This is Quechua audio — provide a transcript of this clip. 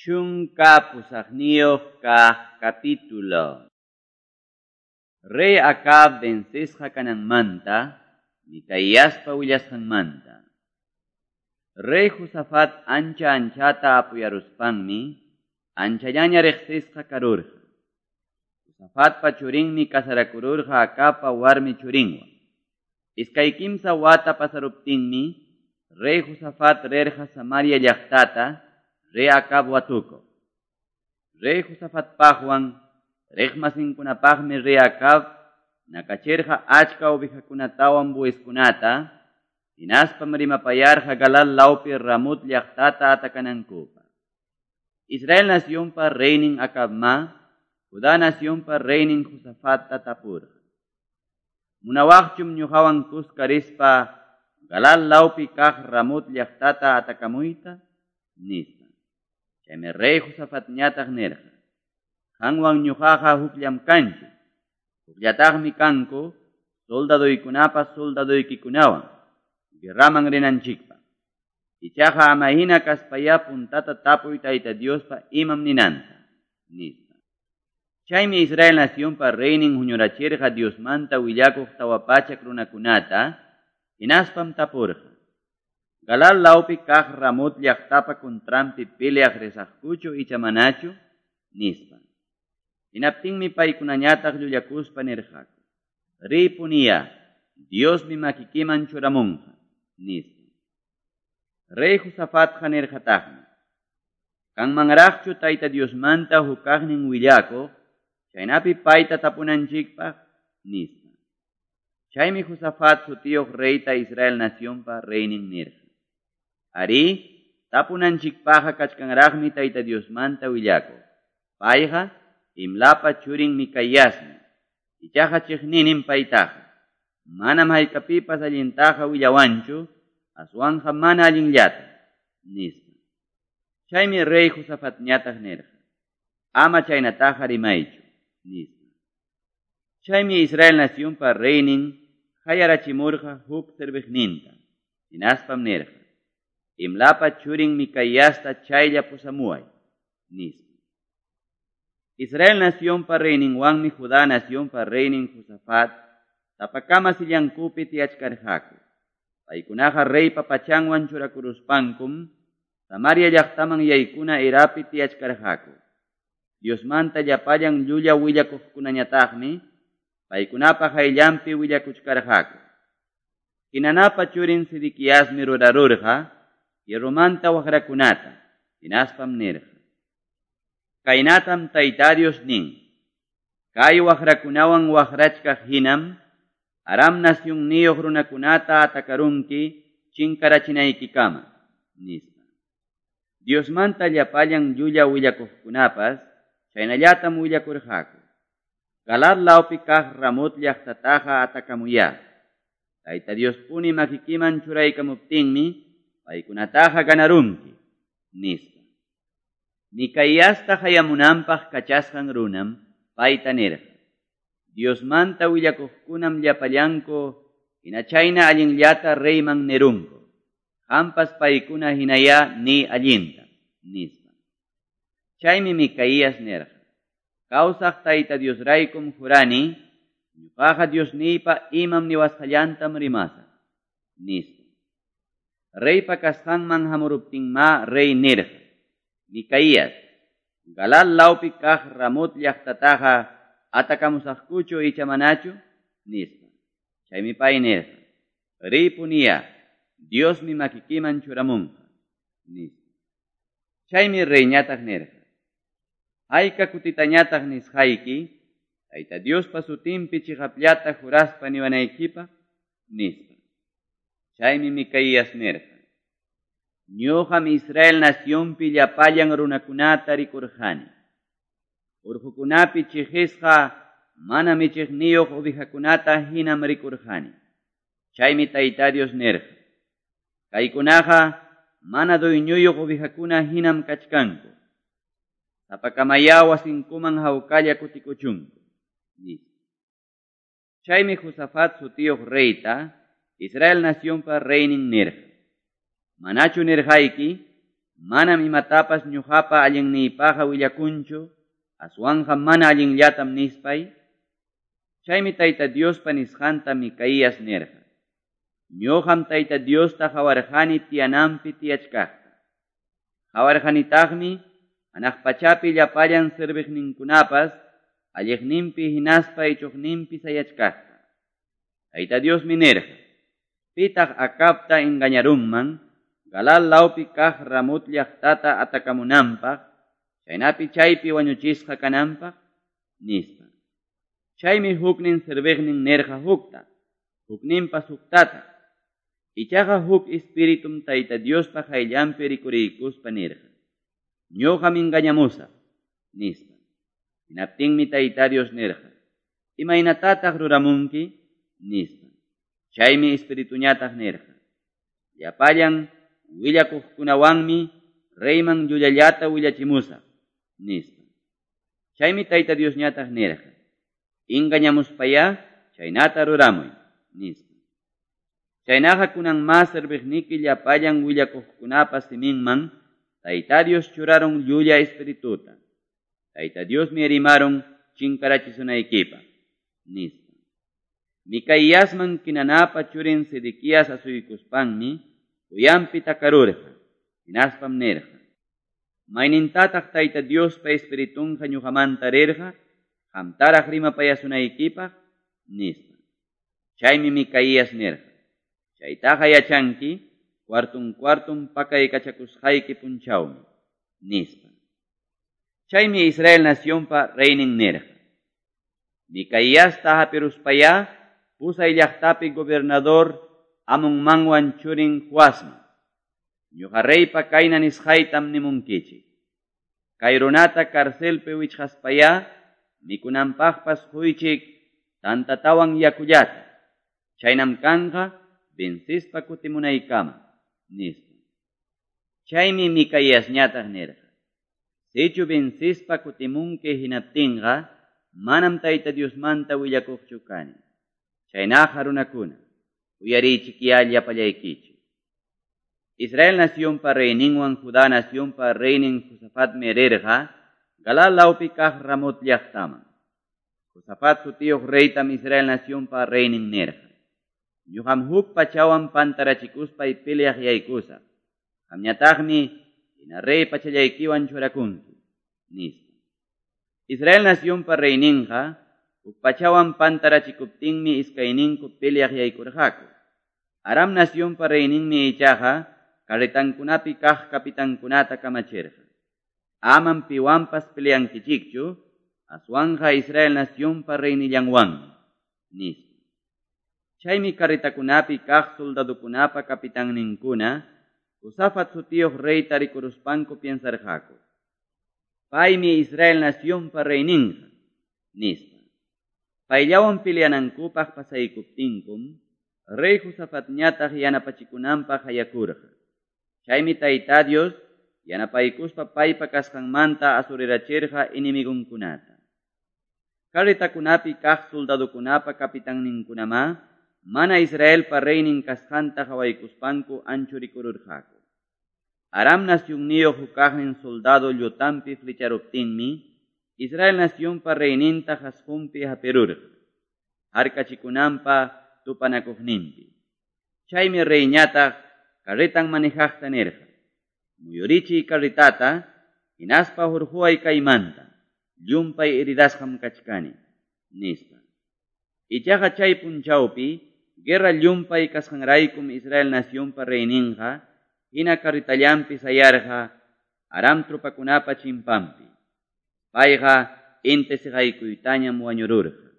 18 kaq capítulo. Rey Acab vencesqa kananmanta, Micaíaspa willasqanmanta. Rey Josafat ancha anchata apuyaruspanmi, anchallaña riqsisqa karurqa. Josafatpa churinmi kasarakururqa Acabpa warmi churinwan. Iskay kimsa wata pasaruptinmi, Rey Josafat rirqa Samaria llaqtata, Rey Acab watukuq. Rey Josafatpaqwan riqmasinkunapaqmi Rey Acab nakachirqa achka ovejakunatawan bueyeskunata, hinaspam rimapayarqa Galaad lawpi Ramot llaqtata atakanankupaq. Israel nacionpa reynin Acabma, Judá nacionpa reynin Josafatta tapurqa. Munawaqchum ñuqawan kuska rispa Galaad lawpi kaq Ramot llaqtata atakamuyta, nispa. Chaymi rey Josafatñataq nirqa: Qanwan ñuqaqa hukllam kanchik, hukllataqmi kanku soldadoykunapas soldadoykikunawan guerraman rinanchikpaq. Ichaqa ama hina kaspayá puntata tapuy Tayta Diospa imam ninanta, nispa. Chaymi Israel nacionpa reynin huñurachirqa Diosmanta willakuq 400 runakunata, hinaspam tapurqa: Galaad lawpi kaq Ramot llaqtapa contranpi peleaq risaqkuchu icha manachu, nispa. Hinaptinmi paykunañataq llullakuspa nirqaku: Ripuniya, Diosmi makikiman churamunqa, nispa. Rey Josafatqa nirqataqmi: Kanmanraqchu Tayta Diosmanta hukaqnin willakuq, chaynapi payta tapunanchikpaq, nispa. Chaymi Josafat sutiyuq reyta Israel nacionpa reynin nirqa: Arí, tapunanchikpaqqa kachkanraqmi Tayta Diosmanta willakuq. Payqa Imlapa churin Micaíasmi, ichaqa chiqninim paytaqa. Manam haykapipas allintaqa willawanchu, aswanqa mana allinllata, nispa. Chaymi rey Josafatñataq nirqa: Ama chaynataqa rimaychu, nispa. Chaymi Israel nacionpa reynin hayarachimurqa huk serviqninta, hinaspam nirqa: Imlapa churin Micaíasta chaylla pusamuway, nispa. Israel nacionpa reyninwanmi Judá nacionpa reynin Josafat tapakama sillankupi tiyachkarqaku. Paykunaqa reypa pachanwan churakuruspankum Samaria llaqtaman yaykuna erapi tiyachkarqaku. Diosmanta llapallan llulla willakuqkunañataqmi paykunapa hayllanpi willakuchkarqaku. Hinanapa churin Sedequiasmi rurarurqa hierromanta waqrakunata, hinaspam nirqa: Kaynatam Tayta Dios nin: Kay waqrakunawan waqrachkaq hinam Aram nacionniyuq runakunata atakarunki chinkarachinaykikama, nispa. Diosmanta llapallan llulla willakuqkunapas chaynallatam willakurqaku: Galaad lawpi kaq Ramot llaqtataqa atakamuyá. Tayta Diospuni makikiman churaykamuptinmi paykunataqa ganarunki, nispa. Micaíasta hayamunanpaq kachasqan runam payta nirqa: Diosmanta willakuqkunam llapallanku hina chayna allinllata reyman nirunku. Qampas paykuna hinayá ni allinta, nispa. Chaymi Micaías nirqa: Kawsaq Tayta Diosraykum jurani, ñuqaqa Diosniypa imam niwasqallantam rimasaq, nispa. Reypa kasqanman hamuruptinma rey nirqa: Micaías, Galaad lawpi kaq Ramot llaqtataqa atakamusaqkuchu icha manachu, nispa. Chaymi pay nirqa: Ripuniya, Diosmi makikiman churamunqa, nispa. Chaymi reyñataq nirqa: Hayka kutitañataq nisqayki, Tayta Diospa sutinpi chiqapllata juraspa niwanaykipaq, nispa. Chaymi Micaías nirqa: Ñuqam Israel nacionpi llapallan runakunata rikurqani. Urqukunapi chiqisqa mana michiqniyuq ovejakunata hinam rikurqani. Chaymi Tayta Dios nirqa: Kaykunaqa mana dueñoyuq ovejakuna hinam kachkanku. Sapakamayá wasinkuman hawkalla kutikuchunku, nispa. Chaymi Josafat sutiyuq reyta Israel nacionpa reynin nirqa: Manachu nirqayki, Manam imatapas ñuqapa allinniypaqqa willakunchu, aswanqa mana allinllatam nispay? Chaymi Tayta Diospa nisqanta Micaías nirqa: Ñuqam Tayta Diosta qawarqani tiyananpi tiyachkaqta. Qawarqanitaqmi hanaq pachapi llapallan serviqninkunapas alliqninpi hinaspa ichuqninpi sayachkaqta. Tayta Diosmi nirqa: Pitaq Acabta engañarunman Galaad lawpi kaq Ramot llaqtata atakamunanpaq, chaynapi chaypi wañuchisqa kananpaq, nispa. Chaymi huknin serviqnin nirqa hukta, hukninpas huktataq. Ichaqa huk espiritum Tayta Diospa qayllanpi rikuriykuspa nirqa: Ñuqam engañamusaq, nispa. Hinaptinmi Tayta Dios nirqa: Imaynatataq ruramunki? Nispa. Chaymi espirituñataq nirqa: Llapallan willakuqkunawanmi reyman llullallata willachimusaq, nispa. Chaymi Tayta Diosñataq nirqa: Engañamuspayá chaynata ruramuy, nispa. Chaynaqa kunan mas serviqniki llapallan willakuqkunapa siminman Tayta Dios churarun llulla espirituta. Tayta Diosmi rimarun chinkarachisunaykipaq, nispa. Micaíasman Quenanapa churin Sedequías asuykuspanmi uyanpi takarurqa, hinaspam nirqa: Maynintataq Tayta Diospa espiritunqa ñuqamanta rirqa, qamtaraq rimapayasunaykipaq, nispa. Chaymi Micaías nirqa: Chaytaqa yachanki cuartun cuartun pakaykachakusqayki punchawmi, nispa. Chaymi Israel nacionpa reynin nirqa: Micaiasta hapiruspayá pusay llaqtapi gobernador Amonmanwan churin Joasman. Ñuqa reypa kayna nisqaytam nimunkichik: Kay runata carcelpi wichqaspayá mikunanpaqpas quychik tantatawan yakullata. Chaynam kanqa vencispa kutimunaykama, nispa. Chaymi Micaíasñataq nirqa: Sichu vencispa kutimunki hinaptinqa manam Tayta Diosmanta willakuqchu kani. Chaynaqa runakuna, uyariychikyá llapallaykichik. Israel nacionpa reyninwan Judá nacionpa reynin Josafatmi rirqa Galaad lawpi kaq Ramot llaqtaman. Josafat sutiyuq reytam Israel nacionpa reynin nirqa: Ñuqam huk pachawan pantarachikuspay peleaq yaykusaq. Qamñataqmi hina rey pachallaykiwan churakunki, nispa. Israel nacionpa reyninqa huk pachawan pantarachikuptinmi iskayninku peleaq yaykurqaku. Aram nacionpa reyninmi ichaqa carretankunapi kaq capitankunata kamachirqa: Amam piwanpas peleankichikchu, aswanqa Israel nacionpa reynillanwanmi, nispa. Chaymi carretakunapi kaq soldadokunapa capitanninkuna Josafat sutiyuq reyta rikuruspanku piensarqaku: Paymi Israel nacionpa reyninqa, nispa. Payllawan peleanankupaq pasaykuptinkum rey Josafatñataq yanapachikunanpaq hayakurqa. Chaymi Tayta Dios yanapaykuspa paypa kasqanmanta asurirachirqa enemigonkunata. Carretakunapi kaq soldadokunapa capitanninkunamá mana Israelpa reynin kasqanta qawaykuspanku anchurikururqaku. Aram nacionniyuq hukaqnin soldado llutanpi flecharuptinmi Israel nacionpa reyninta qasqunpi hapirurqa, harkachikunanpa tupanakuqninpi. Chaymi reyñataq carretan manejaqta nirqa: Muyurichiy carretata, hinaspa hurquway kaymanta, llumpay heridasqam kachkani, nispa. Ichaqa chay punchawpi guerra llumpay kasqanraykum Israel nacionpa reyninqa hina carretallanpi sayarqa Aram tropakunapa chimpanpi. Payqa inti siqaykuytañam wañururqa.